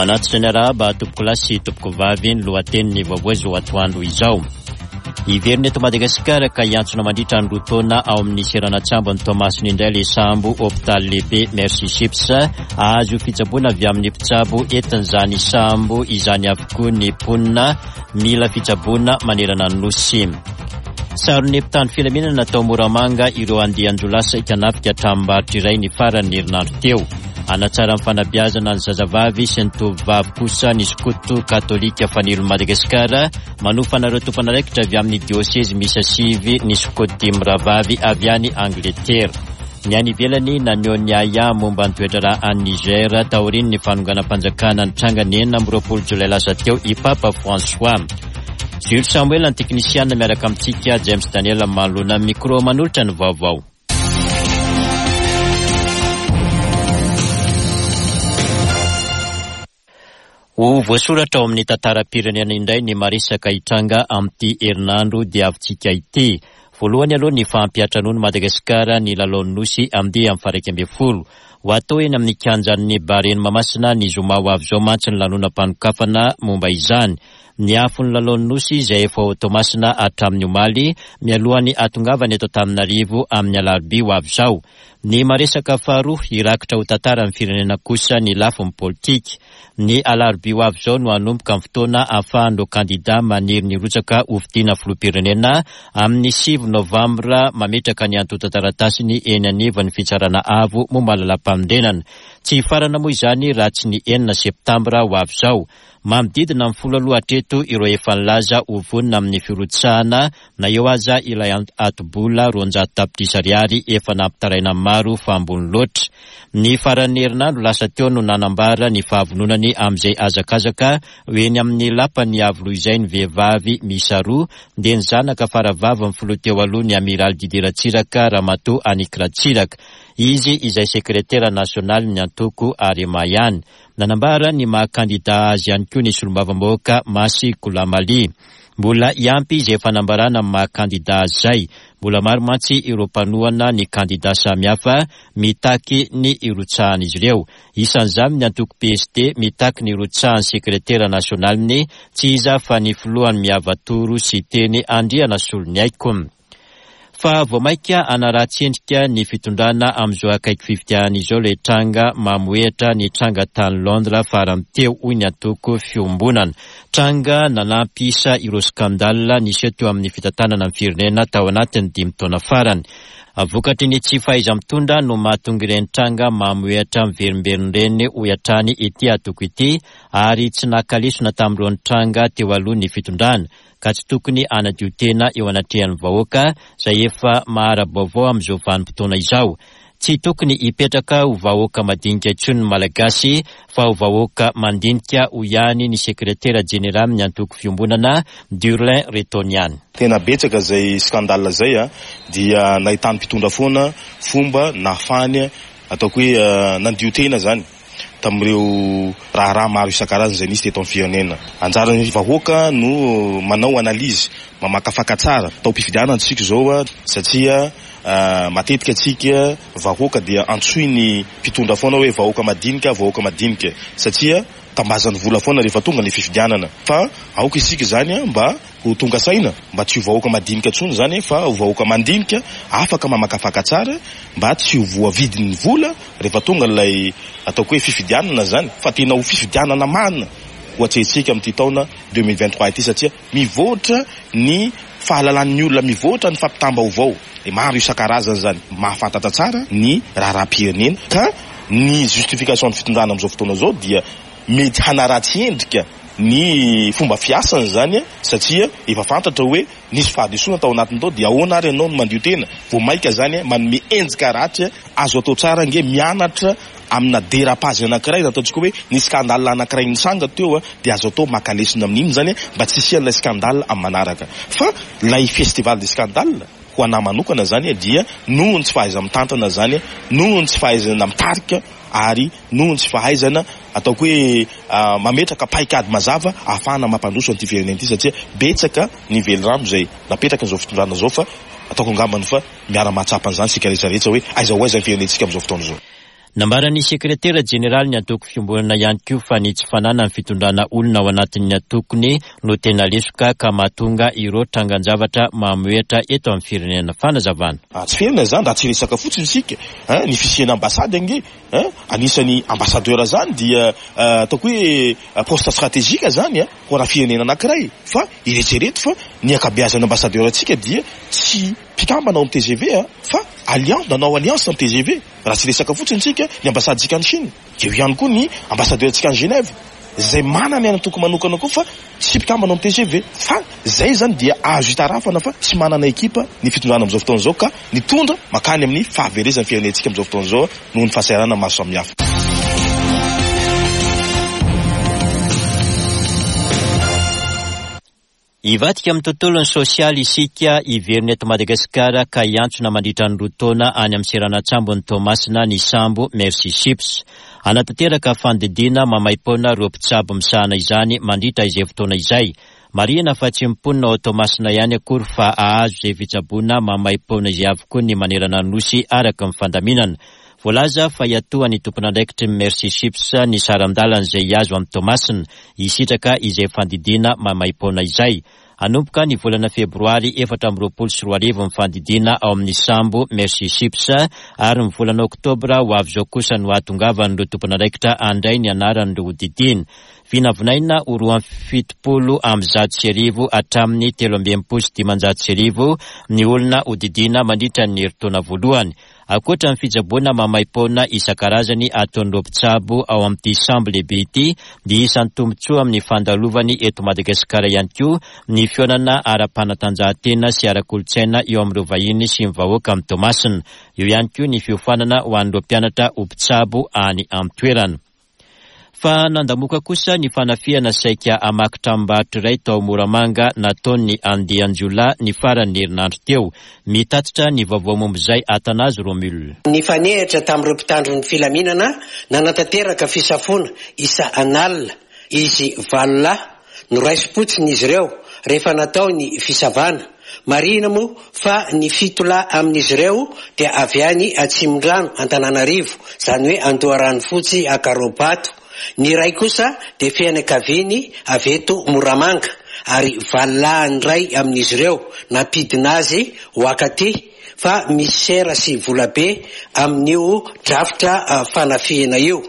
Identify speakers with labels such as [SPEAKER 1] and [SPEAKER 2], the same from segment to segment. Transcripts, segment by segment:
[SPEAKER 1] Manatitra ny arahaba tompokolahy sy tompokovavy ny lohatenin'ny vaovao izao atoandro izao. Hiverina eto Madagasikara ka hiantsona mandritra ny roa taona ao amin'ny seranan-tsambon'i Toamasina indray ilay sambo hopitaly lehibe Mercy Ships. Hahazo fitsaboana avy amin'ny mpitsabo entin'izany sambo izany avokoa ny mponina mila fitsaboana manerana ny Nosy. Saron'ny mpitandro filaminana tao Moramanga ireo andian-jiolahy saika hanafika tranombarotra iray ny faran'ny herinandro teo. Hanatsara ny fanabeazana ny zazavavy sy ny tovovavy kosa ny skoto katolika Fanilon'i Madagasikara. Manofana ireo tompon'andraikitra avy amin'ny diosezy miisa sivy ny skoto dimy rahavavy avy any Angletera. Ny any ivelany naneho ny ahiahy momba ny toe-draharaha any Niger taorian'ny fanonganam-panjakana nitranga ny 26 jolay lasa teo i Papa François. Jules Samuel ny teknisiana miaraka amintsika, James Daniel manoloana ny micro manolotra ny vaovao. Ho voasoratra ao amin'ny tantaram-pirenena indray ny maresaka hitranga amin'ity herinandro diavintsika ity. Voalohany aloha ny fampiantranoan'i Madagasikara ny lalaon'ny Nosy andiany faha-11. Ho atao eny amin'ny kianjan'ny Barea Mahamasina ny zoma ho avy izao mantsy ny lanonam-panokafana momba izany. Ny afon'ny lalaon'ny Nosy izay efa ao Toamasina hatramin'ny omaly, mialohan'ny hahatongavany eto Antananarivo amin'ny alarobia ho avy izao. Ny maresaka faharoa, hirakitra ho tantaran'ny firenena kosa ny lafiny politika. Ny alarobia ho avy izao no hanomboka ny fotoana ahafahan'ireo kandida maniry ny hirotsaka hofidiana filoham-pirenena amin'ny sivy novambra mametraka ny antontan-taratasiny eny anivon'ny Fitsarana Avo momba ny Lalàmpanorenana. Tsy hifarana moa izany raha tsy ny enina septambra ho avy izao. Manodidina ny folo aloha hatreto ireo efa nilaza ho vonona amin'ny firotsahana na eo aza ilay ati-bola 200 tapitrisa ariary efa nampitaraina ny maro fa ambony loatra. Ny faran'ny herinandro lasa teo no nanambara ny fahavononany amin'izay hazakazaka ho eny amin'ny lapan'ny Iavoloha izay ny vehivavy miisa roa dia ny zanaka faravavin'ny filoha teo aloha ny Amiraly Didier Ratsiraka Ramatoa Annick Ratsiraka. Izy izay sekretera nasionalin'ny antoko Arema ihany. Nanambara ny maha kandida azy ihany koa ny solombavambahoaka Masy Goulamaly. Mbola hiampy izay fanambarana amin'ny maha kandida azy izay. Mbola maro mantsy ireo mpanohana ny kandida samihafa mitaky ny hirotsahan'izy ireo. Isan'izany ny antoko PSD mitaky ny hirotsahan'ny sekretera nasionaliny, tsy iza fa ny filohan'ny Miavatoro Siteny Andrianasoloniaiko. Fa vao mainka hanaratsy endrika ny fitondrana amin'izao akaiky fifidianana izao ilay tranga mamohehatra nitranga tany Londres farany teo, hoy ny antoko Fiombonana. Tranga nanampy isa ireo scandale niseho teo amin'ny fitantanana ny firenena tao anatin'ny dimy taona farany. Vokatry ny tsy fahaiza-mitondra no mahatonga ireny tranga mamohehatra miverimberina ireny, hoy hatrany ity antoko ity, ary tsy naka lesona tamin'ireo nitranga teo aloha ny fitondrana. ka tsy tokony hanadio tena eo anatrehan'ny vahoaka izay efa mahara-baovao amin'izao vanim-potoana izao. Tsy tokony hipetraka ho vahoaka madinika intsony ny Malagasy fa ho vahoaka mandinika, hoy ihany ny sekretera jeneralin'ny antoko Fiombonana, Durlin Retonian.
[SPEAKER 2] Tena betsaka izay scandale izay a, dia nahitan'ny mpitondra foana fomba nahafahany ataoko hoe nandio tena izany. tamin'ireo raharaha maro isan-karazany izay nisy teto amin'ny firenena. Anjaran'ny vahoaka no manao analyse, mamakafaka tsara. Taom-pifidianana isika izao satria matetika isika vahoaka dia antsoin'ny mpitondra foana hoe vahoaka madinika, vahoaka madinika satria tambazany vola foana rehefa tonga ny fifidianana. Fa aoka isika izany mba Ho tonga saina mba tsy ho vahoaka madinika intsony izany fa ho vahoaka mandinika, afaka mamakafaka tsara mba tsy ho voavidin'ny vola rehefa tonga ilay ataoko hoe fifidianana izany fa tena ho fifidianana marina ho atrehintsika amin'ity taona 2023 ity satria mivoatra ny fahalalan'ny olona, mivoatra ny fampitam-baovao, maro isan-karazany izany, mahafantatra tsara ny raharaham-pirenena ka ny justification ny fitondrana amin'izao fotoana izao dia mety hanaratsy endrika ny fomba fiasany izany satria efa fantatra hoe nisy fahadisoana tao anatiny tao dia ahoana ary ianao no mandio tena? Vao maika izany manome endrika ratsy, azo atao tsara ange mianatra amina dérapage anankiray na ataontsika hoe nisy scandale anankiray nitranga teo dia azo atao maka lesona amin'iny izany mba tsy hisian'ilay scandale amin'ny manaraka fa ilay festival des scandales ho anà manokana izany dia noho ny tsy fahaiza-mitantana izany, noho ny tsy fahaizana mitarika ary noho ny tsy fahaizana ataoko hoe mametraka paikady mazava ahafahana mampandroso an'ity firenena ity satria betsaka ny velirano izay napetraka izao fitondrana izao fa ataoko angambany fa miara-mahatsapa an'izany isika rehetra rehetra hoe aiza ho aiza ny firenentsika amin'izao fotoana izao.
[SPEAKER 1] Nambaran'ny sekretera jeneralin'ny antoko Fiombonana ihany koa fa ny tsy fananan'ny fitondrana olona ao anatin'ny antokony no tena lesoka ka mahatonga ireo trangan-javatra mamohehatra eto amin'ny firenena. Fanazavana.
[SPEAKER 2] Tsy ferana izany raha tsy resaka fotsiny isika hein, ny fisian'ny ambassade ange hein, anisan'ny ambassadeur zany dia ataoko hoe poste stratégique zany hein, ho ana firenena anakiray fa eretrereto fa ny ankabeazan'ny ambassadeur antsika dia tsy mpikambana ao amin'ny tgv hein, fa alliance, nanao alliance amin'ny tgv. Raha tsy resaka fotsiny isika, ny ambassadintsika any Chine, dia eo ihany koa ny ambassadeur-ntsika any Genève, izay manana ny antoko manokana koa fa tsy mpikambana ao amin'ny tgv. Fa izay izany dia azo itarafana fa tsy manana ekipa ny fitondrana amin'izao fotoana izao ka nitondra mankany amin'ny fahaverezan'ny firenentsika amin'izao fotoana izao noho ny fahasahiranana maro samihafa.
[SPEAKER 1] Hivadika amin'ny tontolon'ny sosialy isika, hiverina eto Madagasikara ka hiantsona mandritra ny roa taona any amin'ny seranan-tsambon'i Toamasina ny sambo Mercy Ships. Hanatanteraka fandidiana maimaim-poana ireo mpitsabo misahana izany mandritra izay fotoana izay. Marihina fa tsy ny mponina ao Toamasina ihany akory fa hahazo izay fitsaboana maimaim-poana izay avokoa ny manerana ny Nosy araka ny fandaminana. Voalaza fa hiatohan'ny tompon'andraikitry ny Mercy Ships ny saran-dalana izay hihazo an'i Toamasina, hisitraka izay fandidiana maimaim-poana izay. Hanomboka ny volana febroary 2024 ny fandidiana ao amin'ny sambo Mercy Ships ary ny volana oktobra ho avy izao kosa no hahatongavan'ireo tompon'andraikitra handray ny anaran'ireo hodidiana. Vinavinaina ho 1172 hatramin'ny 1563 ny olona hodidiana mandritra ny herintaona voalohany. Ankoatra ny fitsaboana maimaim-poana isan-karazany ataon'ireo mpitsabo ao amin'ity sambo lehibe ity dia isan'ny tombontsoa amin'ny fandalovany eto Madagasikara ihany koa ny fihaonana ara-panatanjahantena sy ara-kolontsaina eo amin'ireo vahiny sy ny vahoaka amin'i Toamasina. Eo ihany koa ny fiofanana ho an'ireo mpianatra ho mpitsabo any an-toerana. Fa nandamoka kosa ny fanafihana saika hamaky tranombarotra iray tao Moramanga nataon'ny andian-jiolahy ny faran'ny herinandro teo. Mitatitra ny vaovao momba izay Athanase Romule.
[SPEAKER 3] Nifanehitra tamin'ireo mpitandro ny filaminana nanatanteraka fisafoana isa an'alina izy valo lahy. Noraisim-potsiny izy ireo rehefa natao ny fisavana. Marihina moa fa ny fito lahy amin'izy ireo dia avy any Atsimondrano, Antananarivo, izany hoe Andoharanofotsy Ankarobato. Ny iray kosa dia fianakaviany avy eto Moramanga ary valo lahy ny iray amin'izy ireo nampidina azy ho akaty fa misy sera sy volabe amin'io drafitra fanafihana io.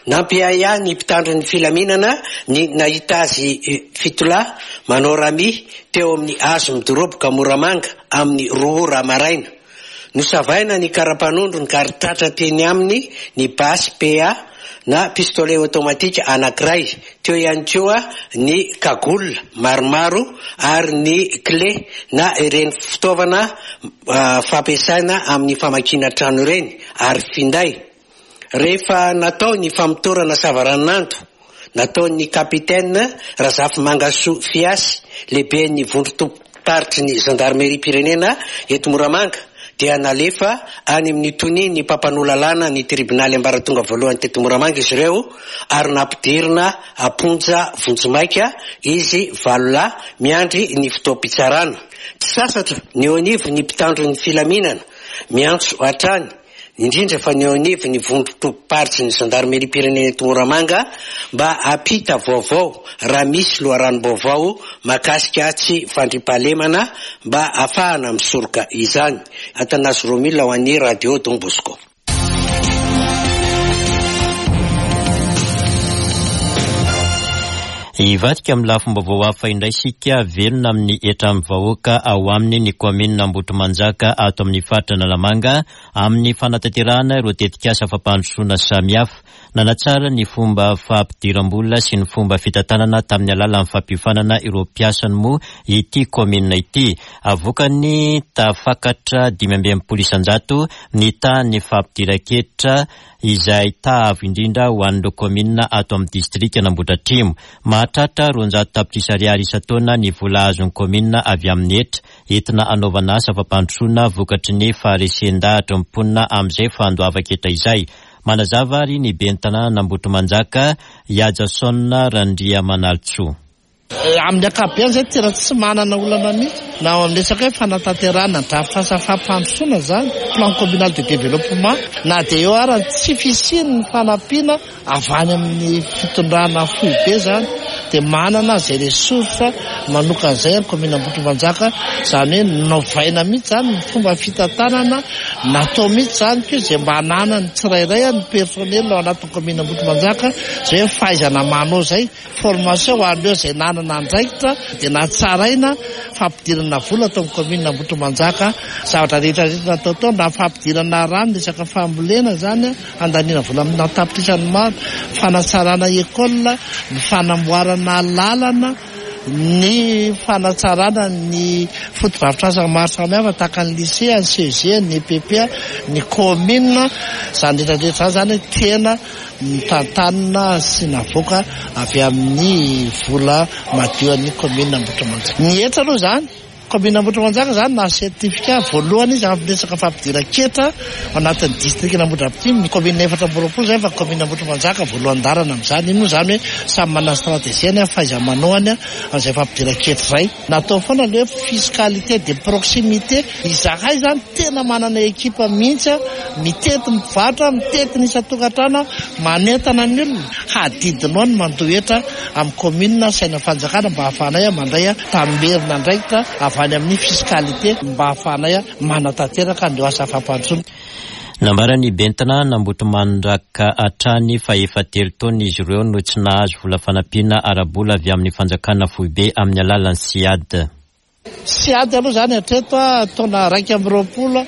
[SPEAKER 3] Nampiahiahy ny mpitandro ny filaminana ny nahita azy fitolahy manao rami teo amin'ny hazo midoroboka Moramanga amin'ny roa ora maraina. Nosavaina ny kara-panondrony ka ary tratra teny aminy ny basy PA na pistolet automatique anankiray, teo ihany koa ny cagoule maromaro ary ny clé na ireny fitaovana fampiasaina amin'ny famakiana trano ireny ary finday. Rehefa natao ny famotorana savaranonando nataon'ny Capitaine Razafimangasoa Fiasy, lehiben'ny vondron-tobim-paritry ny zandarimeriam-pirenena eto Moramanga, dia nalefa any amin'ny tonian'ny mpampanoa lalàna ny tribonaly ambaratonga voalohany teto Moramanga izy ireo ary nampidirina am-ponja vonjimaika izy valo lahy miandry ny fotoam-pitsarana. Tsy sasatra ny eo anivon'ny mpitandro ny filaminana miantso hatrany indrindra fa ny eo anivon'ny vondron-tobim-paritry ny zandarimeriam-pirenena eto Moramanga mba hampita vaovao raha misy loharanom-baovao mahakasika tsy fandriampahalemana mba hahafahana misoroka izany. Athanase Romile ho an'ny Radio Don Bosco.
[SPEAKER 1] Hivadika amin'ny lafim-baovao hafa indray isika, velona amin'ny hetran'ny vahoaka ao aminy ny kaominina Ambohitrimanjaka ato amin'ny faritra Analamanga amin'ny fanatanterahana ireo tetikasa fampandrosoana samihafa. Nanatsara ny fomba fampidiram-bola sy ny fomba fitantanana tamin'ny alalan'ny fampiofanana ireo mpiasany moa ity kaominina ity. Vokany, tafakatra 65% ny tahan'ny fampidiran-ketra izay taha avo indrindra ho an'ireo kaominina ato amin'ny distrikan'Ambohidratrimo. Mahatratra 200 tapitrisa ariary isan-taona ny vola azon'ny kaominina avy amin'ny hetra entina hanaovana asa fampandrosoana vokatry ny faharesen-dahatry ny mponina amin'izay fandoavan-ketra izay. Manazava ary ny ben'ny tanànan'Ambohitrimanjaka, Ihajason Randriamanalintsoa.
[SPEAKER 4] Amin'ny ankapobeny izay tena tsy manana olana mihitsy na ao amin'ny resaka hoe fanatanterahana ny drafitrasa fampandrosoana izany, plan communal de développement, na dia eo ara ny tsy fisian'ny fanampiana avy any amin'ny fitondrana foibe izany dia manana izay ressource manokana izay ny commune Ambohitrimanjaka, izany hoe novaina mihitsy izany ny fomba fitantanana, natao mihitsy izany koa izay mba hananan'ny tsirairay ny personnel ao anatin'ny commune Ambohitrimanjaka izay hoe fahaizana manao izay. Formation ho an'ireo izay nanana andraikitra dia natsaraina fampidirana vola tao amin'ny commune Ambohitrimanjaka. Zavatra rehetra rehetra natao tao na fampidirana rano resaka fambolena izany handaniana vola amina tapitrisany maro, fanatsarana école, ny fanamboarana lalana, ny fanatsarana ny fotodrafitrasa maro samihafa tahaka ny lycée, ny CEG, ny EPP, ny commune, izany rehetra rehetra izany izany tena Notantanina sy navoaka avy amin'ny vola madio an'ny kaominina Ambohitrimanjaka. Ny hetra aloha izany, kaominina Ambohitrimanjaka izany nahazo certificat voalohany izy amin'ny resaka fampidiran-ketra ao anatin'ny distrikan'Ambohidrapetina. Ny kaominina 24 izay fa kaominina Ambohitrimanjaka voalohan-dalana amin'izany. Iny moa izany hoe samy manana stratégie-ny, fahaiza-manaony amin'izay fampidiran-ketra izay. Natao foana le hoe fiscalité de proximité, izahay zany tena manana ekipa mihitsy mitety ny mpivarotra, mitety ny isan-tokantrano, manentana ny olona, hadidinao ny mandoa hetra amin'ny commune sy any amin'ny fanjakana mba hahafahanay mandray tamberin'andraikitra avy any amin'ny fiscalité mba hahafahanay manatanteraka an'ireo asa fampandrosoana.
[SPEAKER 1] Nambaran'ny ben'ny tanàna Ambohitrimanjaka hatrany fa efa telo taona izy ireo no tsy nahazo vola fanampiana ara-bola avy amin'ny fanjakana foibe amin'ny alalan'ny Ciad.
[SPEAKER 4] Ciad aloha izany hatreto taona 21,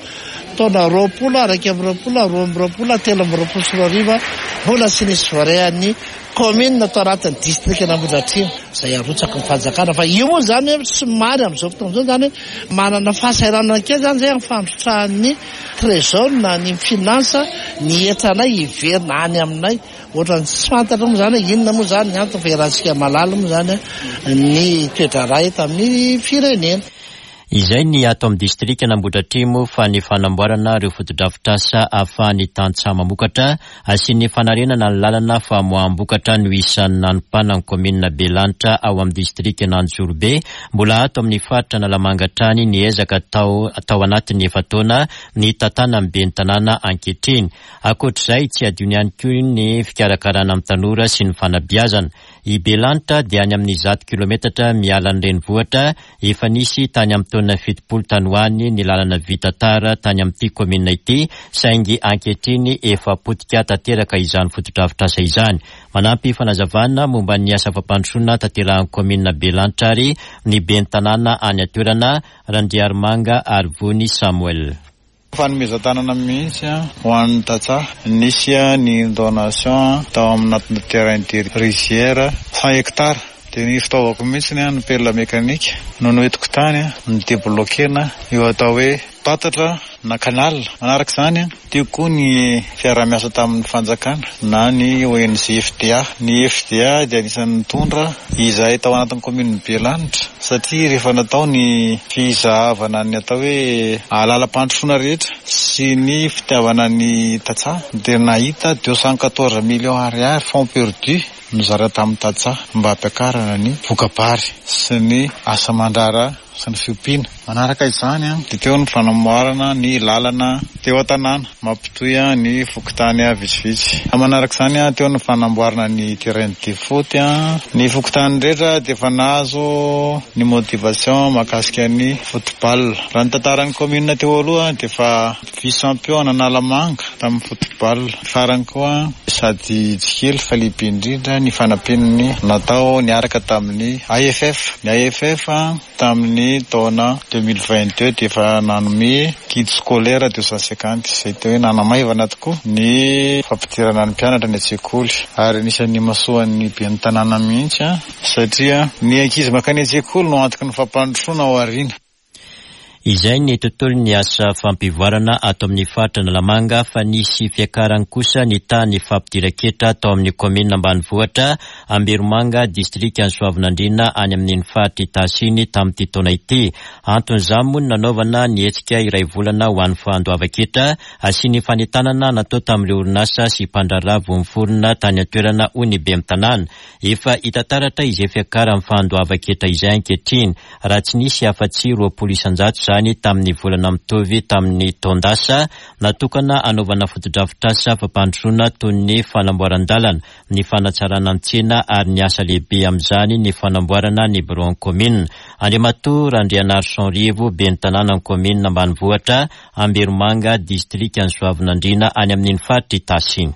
[SPEAKER 4] taona 20, 21, 22, 2023 mbola tsy nisy voarehan'ny Kaominina tao anatin'ny distrikan'Ambohidratrimo izay arotsaky ny fanjakana fa io moa izany hoe somary amin'izao fotoana izao izany hoe manana fahasahiranana kely izany izay amin'ny fandrotsahan'ny trésor na ny finance ny hetranay hiverina any aminay ohatran'ny tsy fantatra moa izany hoe inona moa izany ny antony fa iarahantsika mahalala moa izany ny toe-draharaha eto amin'ny firenena.
[SPEAKER 1] Izay ny ato amin'ny distrikan'Ambohidratrimo fa ny fanamboarana ireo fotodrafitrasa ahafahan'ny tantsaha mamokatra sy ny fanarenana ny lalana famoaham-bokatra no isan'ny nanompanan'ny kaominina Belanitra ao amin'ny distrikan'Anjozorobe. Mbola ato amin'ny faritra Analamanga hatrany ny ezaka atao tao anatin'ny efa-taona nitantanan'ny ben'ny tanàna ankehitriny. Ankoatr'izay, tsy adino ihany koa ny fikarakarana ny tanora sy ny fanabeazana. I Belanitra dia any amin'ny 100 kilometatra miala ny renivohitra. Efa nisy tany amin'ny taona 70 tany ho any ny lalana vita tara tany amin'ity kaominina ity, saingy ankehitriny efa potika tanteraka izany fotodrafitrasa izany. Manampy fanazavana momba ny asa fampandrosoana tanterahin'ny kaominina Belanitra ary ny ben'ny tanàna any an-toerana, Randriarimanga Arivony Samuel.
[SPEAKER 5] Fanomezan-tanana mihitsy ho an'ny tantsaha. Nisy ny donation tao amin'anatina terrain de rizière 100 hectares. Dia ny fitaovako mihitsy ny pelle mécanique no noentiko tany ni-debloquer-na io atao hoe tatatra na canal. Manaraka izany, teo koa ny fiaraha-miasa tamin'ny fanjakana na ny ONG FDA. Ny FDA dia anisan'ny nitondra izahay tao anatin'ny kaominin'i Belanitra satria rehefa natao ny fizahavana ny atao hoe alalam-pandrosoana rehetra sy ny fitiavana ny tantsaha dia nahita 214 millions ariary fonds perdu nozara tamin'ny tantsaha mba hampiakarana ny voka-bary sy ny asa aman-draharaha sy ny fiompiana. Manaraka izany dia teo ny fanamboarana ny lalana teo an-tanàna mampitohy ny fokontany vitsivitsy. Manaraka izany teo ny fanamboarana ny terrain de foot. Ny fokontany rehetra dia efa nahazo ny motivation mahakasika ny football. Raha ny tantaran'ny commune teo aloha dia efa vice champion an'Analamanga tamin'ny football. Farany koa sady tsy kely fa lehibe indrindra ny fanampian'ny natao niaraka tamin'ny AFF. Ny AFF tamin'ny taona 2022 dia efa nanome kit scolaire 250 izay tena hoe nanamaivana tokoa ny fampidirana ny mpianatra any an-tsekoly ary anisan'ny nimasoan'ny ben'ny tanàna mihitsy satria ny ankizy mankany an-tsekoly no antoky ny fampandrosoana ao aoriana.
[SPEAKER 1] Izay ny tontolon'ny asa fampivoarana ato amin'ny faritra Analamanga fa nisy fiakarany kosa ny tahan'ny fampidiran-ketra tao amin'ny kaominina ambanivohitra Amberomanga, distrikan'i Soavinandriana any amin'iny faritra Itasy iny tamin'ity taona ity. Anton'izany moa ny nanaovana ny hetsika iray volana ho an'ny fandoavan-ketra sy ny fanentanana natao tamin'ireo orinasa sy mpandraharaha vao niforona tany an-toerana hoy ny ben'ny tanàna. Efa hita taratra izay fiakaran'ny fandoavan-ketra izay ankehitriny, raha tsy nisy afa-tsy 20% izany tamin'ny volana mitovy tamin'ny taon-dasa, natokana hanaovana fotodrafitrasa fampandrosoana toy ny fanamboaran-dalana, ny fanatsarana ny tsena ary ny asa lehibe amin'izany ny fanamboarana ny biraon'ny kaominina. Andriamatoa Randrianarison Rivo, ben'ny tanànan'ny kaominina ambanivohitra Amberomanga, distrikan'i Soavinandriana any amin'iny faritra Itasy iny.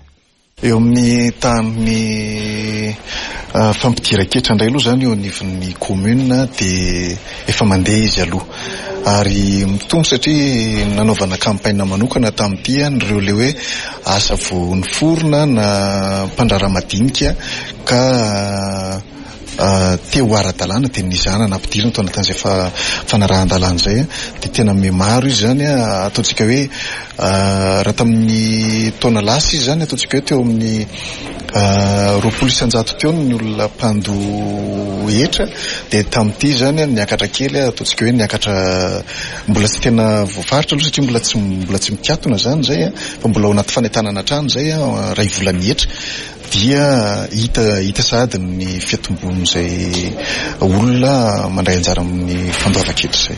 [SPEAKER 6] Eo amin'ny tahan'ny fampidiran-ketra indray aloha izany eo anivon'ny commune dia efa mandeha izy aloha ary mitombo satria nanaovana campagne manokana tamin'ity ireo ilay hoe asa vao niforona na mpandraharaha madinika ka te ho ara-dalàna dia nizahana nampidirina tao anatin'izay fanarahan-dalàna izay dia tena mihamaro izy izany ataontsika hoe raha tamin'ny taona lasa izy izany ataontsika hoe teo amin'ny 20% teo ny olona mpandoa hetra dia tamin'ity izany niakatra kely ataontsika hoe niakatra mbola tsy tena voafaritra aloha satria mbola tsy mbola tsy mikatona izany izay fa mbola ao anaty fanentanana hatrany izay iray volan'ny hetra. Dia hita hita sahady ny fiatombon'izay olona mandray anjara amin'ny fandoavan-ketra izay.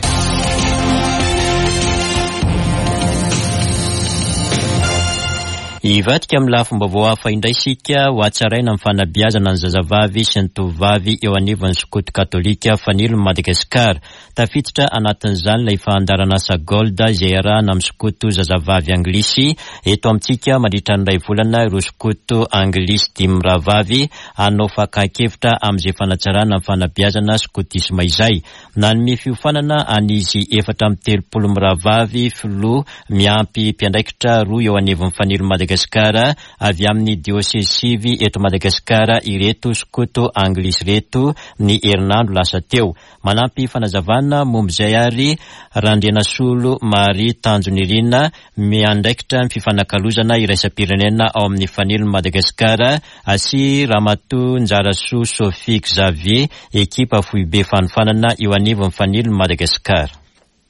[SPEAKER 1] Hivadika amin'ny lafim-baovao hafa indray isika ho hatsaraina amin'ny fanabeazana ny zazavavy sy ny tovovavy eo anivon'ny skoto katolika Fanilon'i Madagasikara. Tafiditra anatin'izany ilay fandaharanasa Gold izay iarahana amin'ny skoto zazavavy anglisy eto amintsika mandritra ny iray volana ireo skoto anglisy dimy mirahavavy hanao fakan-kevitra amin'izay fanatsarana ny fanabeazana skotisma izay. Nanome fiofanana an'izy 34 mirahavavy filoha miampy mpiandraikitra roa eo anivon'ny Fanilo Madagasikara avy amin'ny diosezy sivy eto Madagasikara ireto skoto anglisy ireto ny herinandro lasa teo. Manampy fanazavana momba izay ary Randrianasolo Marie Tanjonirina, miandraikitra ny fifanakalozana iraisam-pirenena ao amin'ny Fanilon'i Madagasikara sy Ramatoa Njarasoa Sophie Xavier, ekipa foibe fanofanana eo anivon'ny Fanilon'i Madagasikara.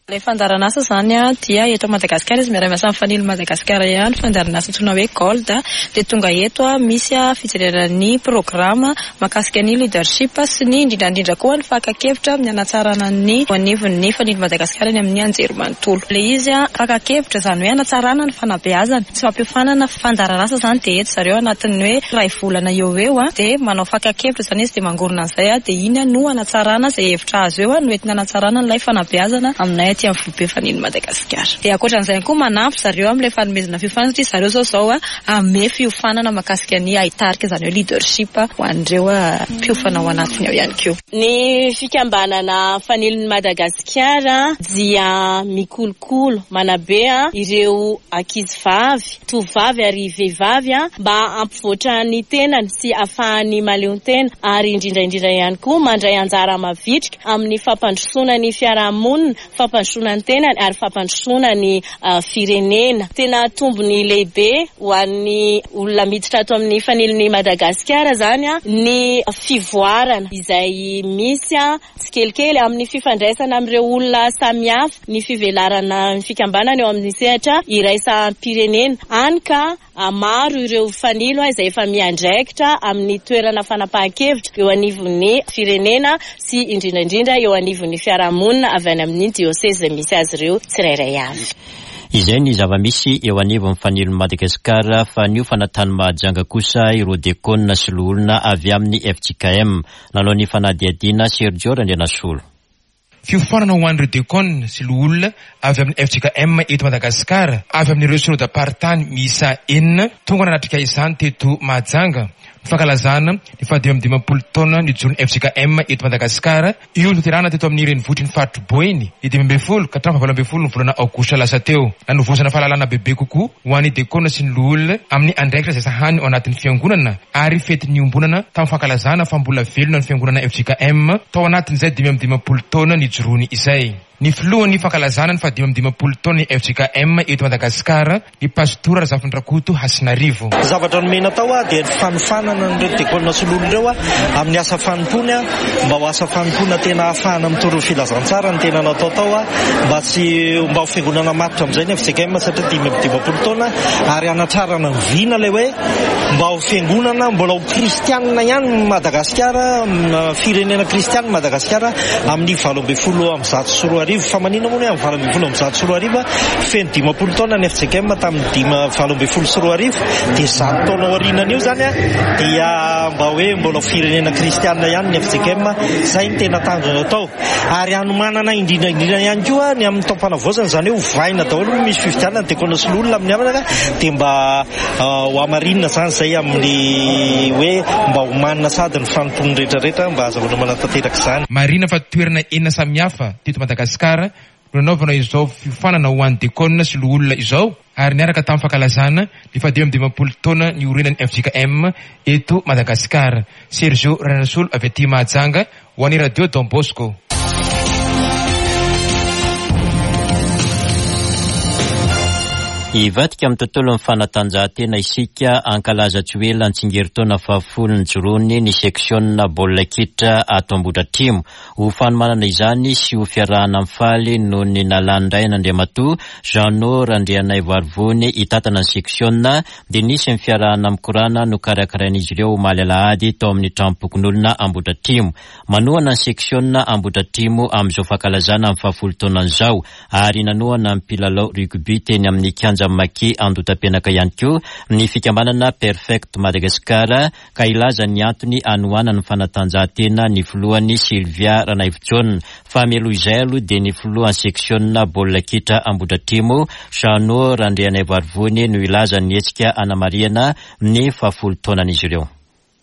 [SPEAKER 7] Ilay fandaharanasa izany dia eto Madagasikara izy miara-miasa amin'ny Fanilo Madagasikara ihany, fandaharanasa antsoina hoe Gold dia tonga eto misy fijerena ny programa mahakasika ny leadership sy ny indrindra indrindra koa ny fakan-kevitra amin'ny hanatsarana ny eo anivon'ny Fanilo Madagasikara eny amin'ny anjerimanontolo. Ilay izy fakan-kevitra izany hoe hanatsarana ny fanabeazana, tsy fampiofanana fandaharanasa izany dia eto zareo anatin'ny hoe iray volana eo ho eo dia manao fakan-kevitra izany izy dia mangorona an'izay dia iny no hanatsarana izay hevitra azo eo no entina hanatsarana an'ilay fanabeazana aminay aty amin'ny foibe Fanilo Madagasikara. Dia ankoatran'izay ihany koa manampy zareo amin'ilay fanomezana fiofanana satria zareo izao izao hanome fiofanana mahakasika ny haitarika izany hoe leadership ho an'ireo mpiofana ao anatiny ao ihany koa.
[SPEAKER 8] Ny fikambanana Fanilon'i Madagasikara dia mikolokolo, manabe ireo ankizivavy, tovovavy ary vehivavy mba hampivoatra ny tenany sy hahafahany mahaleontena ary indrindra indrindra ihany koa mandray anjara mavitrika amin'ny fampandrosoana ny fiarahamonina, fampandrosoana ny tenany ary fampandrosoana ny firenena. Tena tombony lehibe ho an'ny olona miditra ato amin'ny fanilon'i Madagasikara izany ny fivoarana izay misy tsikelikely amin'ny fifandraisana amin'ireo olona samihafa, ny fivelarana ny fikambanana eo amin'ny sehatra iraisam-pirenena, hany ka maro ireo fanilo izay efa miandraikitra amin'ny toerana fanapahan-kevitra eo anivon'ny firenena sy indrindra indrindra eo anivon'ny fiarahamonina avy any amin'ny diosezy izay misy azy ireo tsirairay avy.
[SPEAKER 1] Izay ny zava-misy eo anivon'ny fanilon'i Madagasikara fa niofana tany Mahajanga kosa ireo dekona sy loholona avy amin'ny fjkm. Nanao ny fanadihadiana Sergio Randrianasolo.
[SPEAKER 9] Fiofanana ho an'ireo Dekona sy Loholona avy amin'ny fjkm eto Madagasikara, avy amin'ireo Synodam-paritany miisa enina, tonga nanatrika izany teto Mahajanga, ny fankalazana ny faha-55 taona nijoroan'ny fjkm eto Madagasikara, io notanterahina teto amin'ny renivohitry ny faritr'i Boeny, ny 15 ka hatramin'ny faha-18 ny volana aogositra lasa teo. Nanovozana fahalalana bebe kokoa ho an'ny Dekona sy ny Loholona amin'ny andraikitra izay sahany ao anatin'ny Fiangonana, ary fety niombonana tamin'ny fankalazana fa mbola velona ny fiangonana fjkm tao anatin'izay 55 taona nijoroany izay. ny filohan'ny fankalazana ny fahadimy amby dimampolo taon'ny fjkm eto Madagasikara, ny Pastora Razafindrakoto Hasinarivo.
[SPEAKER 10] Ny zavatra nomena tao dia ny fanofanana an'ireo diakona sy loholona ireo amin'ny asa fanompoany mba ho asa fanompoana tena ahafahana mitory ny filazantsara no tena natao tao mba tsy mba ho fiangonana matotra amin'izay ny fjkm satria 55 taona ary hanatrarana ny vina ilay hoe mba ho fiangonana mbola ho kristianina ihany Madagasikara, firenena kristianina Madagasikara amin'ny 2018. Fa maninona moa ny hoe amin'ny 2018? Feno 50 taona ny fjkm tamin'ny dimy 2018, dia 100 taona aorianan'io izany dia mba hoe mbola ho firenena kristianina ihany ny fjkm. Izay no tena tanjona atao. Ary hanomanana indrindra indrindra ihany koa ny amin'ny taom-panavaozana, izany hoe ovaina daholo, misy fifidianana dia kona soloina amin'ny havana dia mba Ho hamarinina izany izay amin'ny hoe mba homanina sady ny fanompoan'ny rehetra rehetra mba hahazahoana manatanteraka izany.
[SPEAKER 9] Marihina fa toerana enina samihafa teto Madagasikara no nanaovana izao fiofanana ho an'ny Dekona sy Loholona izao ary niaraka tamin'ny fankalazana ny fahadimy amby dimampolo taona niorenan'ny fjkm eto Madagasikara. Sergio Ranasolo avy aty Mahajanga Ho an'ny Radio Don Bosco.
[SPEAKER 1] Hivadika amin'ny tontolon'ny fanatanjahantena isika, hankalaza tsy ho ela ny tsingerin-taona fahafolo nijoroany ny seksiona baolina kitra ato Ambohidratrimo. Ho fanomanana izany sy ho fiarahana mifaly noho ny nalan'ny ray an'Andriamatoa Jeannot Randrianaivoarivony hitantana ny seksiona dia nisy ny fiarahana mikorana nokarakarain'izy ireo omaly alahady tao amin'ny tranom-pokonolona Ambohidratrimo. Manohana ny seksiona Ambohidratrimo amin'izao fankalazana ny fahafolo taonany izao ary nanohana ny mpilalao rugby teny amin'ny kianjan'ny Maki Andotapenaka ihany koa ny fikambanana Perfect Madagascar ka hilaza ny antony hanohanany ny fanatanjahantena ny filohany Sylvia Ranaivojaona. Fa mialoha izay aloha dia ny filohan'ny seksiona baolina kitra Ambohidratrimo, Jeannot Randrianaivoarivony no hilaza ny hetsika hanamarihana ny fahafolo taonan'izy ireo.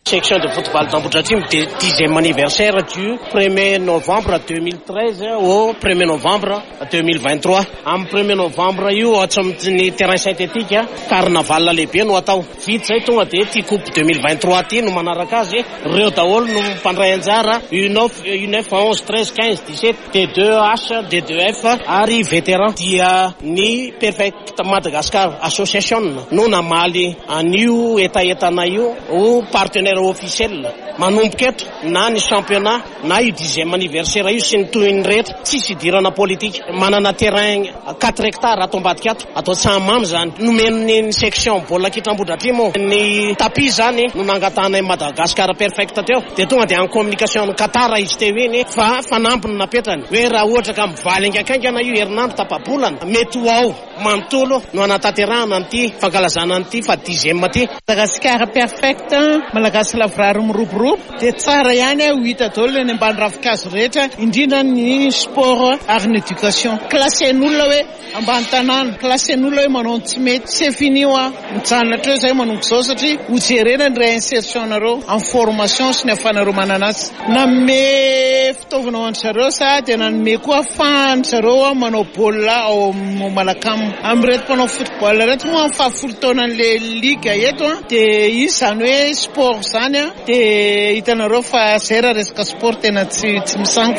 [SPEAKER 11] Section de football d'Ambohidratrimo dia dixième anniversaire du premier novembre 2013 au premier novembre 2023. Amin'ny premier novembre io atsy amin'ny terrain synthétique, carnaval lehibe no atao. Vita izay tonga dia ity coupe 2023 ity no manaraka azy. Ireo daholo no mpandray anjara, U9, U9, 11, 13, 15, 17, D2H, D2F ary vétéran. Dia ny Perfect Madagascar Association no namaly an'io hetahetanay io ho partenaire officiel. Manomboka eto na ny championnat na io dixième anniversaire io sy ny tohiny rehetra, tsisy idirana politika. Manana terrain quatre hectares ato ambadika ato, atao Tsahamamy izany. Nomen'ny ny section baolina kitra Ambohidratrimo ny tapis izany no nangatahanay Madagascar Perfect teo dia tonga dia en communication amin'i Qatar izy teo iny fa fanamby no napetrany hoe raha ohatra ka mivaly haingankaingana io herinandro tapa-bolana mety ho ao manontolo no hanatanterahana an'ity fankalazana an'ity faha dixième ity.
[SPEAKER 4] Madagasikara perfect, Malagasy lavorary miroborobo dia tsara ihany ho hita daholo eny ambany ravinkazo rehetra indrindra ny sport ary ny éducation. Classen'olona hoe ambany tanàna, classen'olona hoe manao ny tsy mety. C'est fini hoa, mijanona hatreo izay manomboka izao satria ho jerena ny réinsertion nareo amin'ny formation sy ny ahafahanareo manana azy. Nanome fitaovana ho an-dry zareo sa dia nanome koa ahafahan-dry zareo manao baolina ao amin'ny Malacam. Amin'ireto mpanao football ireto moa amin'ny fahafolo taonan'ilay ligue eto dia izy izany hoe sport izany dia hitanareo fa izay raha resaka sport tena tsy tsy misangy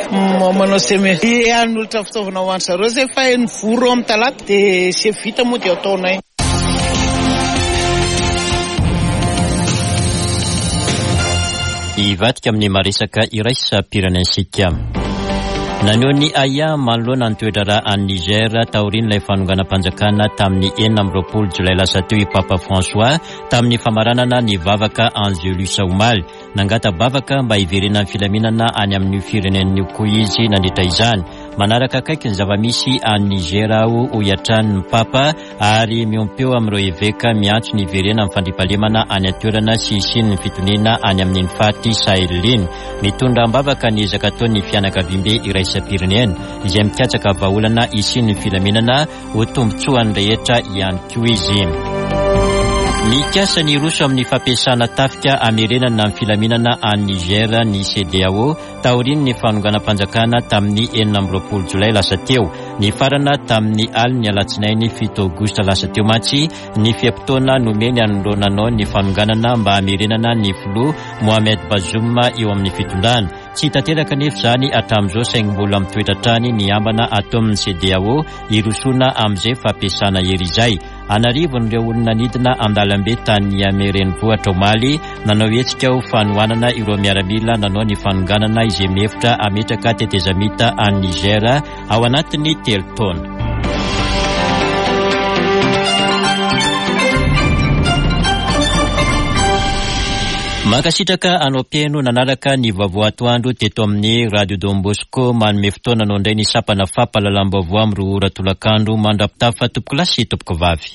[SPEAKER 4] manao seme. Hanolotra fitaovana ho an-dry zareo izay fa nivory eo amin'ny talata dia izay vita moa dia ataonay.
[SPEAKER 1] Hivadika amin'ny maresaka iraisam-pirenentsika. Naneho ny ahiahy manoloana ny toe-draharaha any Niger taorian'ilay fanonganam-panjakana tamin'ny 26 jolay lasa teo i Papa François tamin'ny famaranana ny vavaka Angelus omaly. Nangata-bavaka mba hiverenan'ny filaminana any amin'io firenena io koa izy nandritra izany. Manaraka akaiky ny zava-misy any Niger aho, hoy hatrany ny Papa, ary miompeo amin'ireo eveka miantso ny hiverenan'ny fandriampahalemana any an-toerana sy hisian'ny fitoniana any amin'iny faritry Sahel iny. Mitondra am-bavaka ny ezaka ataon'ny fianakaviambe iraisam-pirenena izay mikatsaka vahaolana hisian'ny filaminana Ho tombontsoan'ny rehetra ihany koa izy. Mikasa ny hiroso amin'ny fampiasana tafika hamerenana ny filaminana any Niger ny CEDEAO taorian'ny fanonganam-panjakana tamin'ny 26 jolay lasa teo. Nifarana tamin'ny alin'ny alatsinainy 7 aogositra lasa teo mantsy ny fe-potoana nomeny an'ireo nanao ny fanonganana mba hamerenana ny filoha Mohamed Bazoum eo amin'ny fitondrana. Tsy tanteraka anefa izany hatramin'izao saingy mbola mitoetra hatrany ny ambana ataon'ny CEDEAO hirosoana amin'izay fampiasana hery izay. An'arivony ireo olona nidina an-dalambe tany Niamey renivohitra omaly, nanao hetsika ho fanohanana ireo miaramila nanao ny fanonganana izay mihevitra hametraka tetezamita any Niger ao anatin'ny telo taona. Mankasitraka anao mpihaino nanaraka ny vaovao atoandro teto amin'ny Radio Don Bosco. Manome fotoana anao indray ny sampana fampahalalam-baovao amin'ny roa ora tolakandro. Mandra-pitafa tompokolahy sy tompokovavy.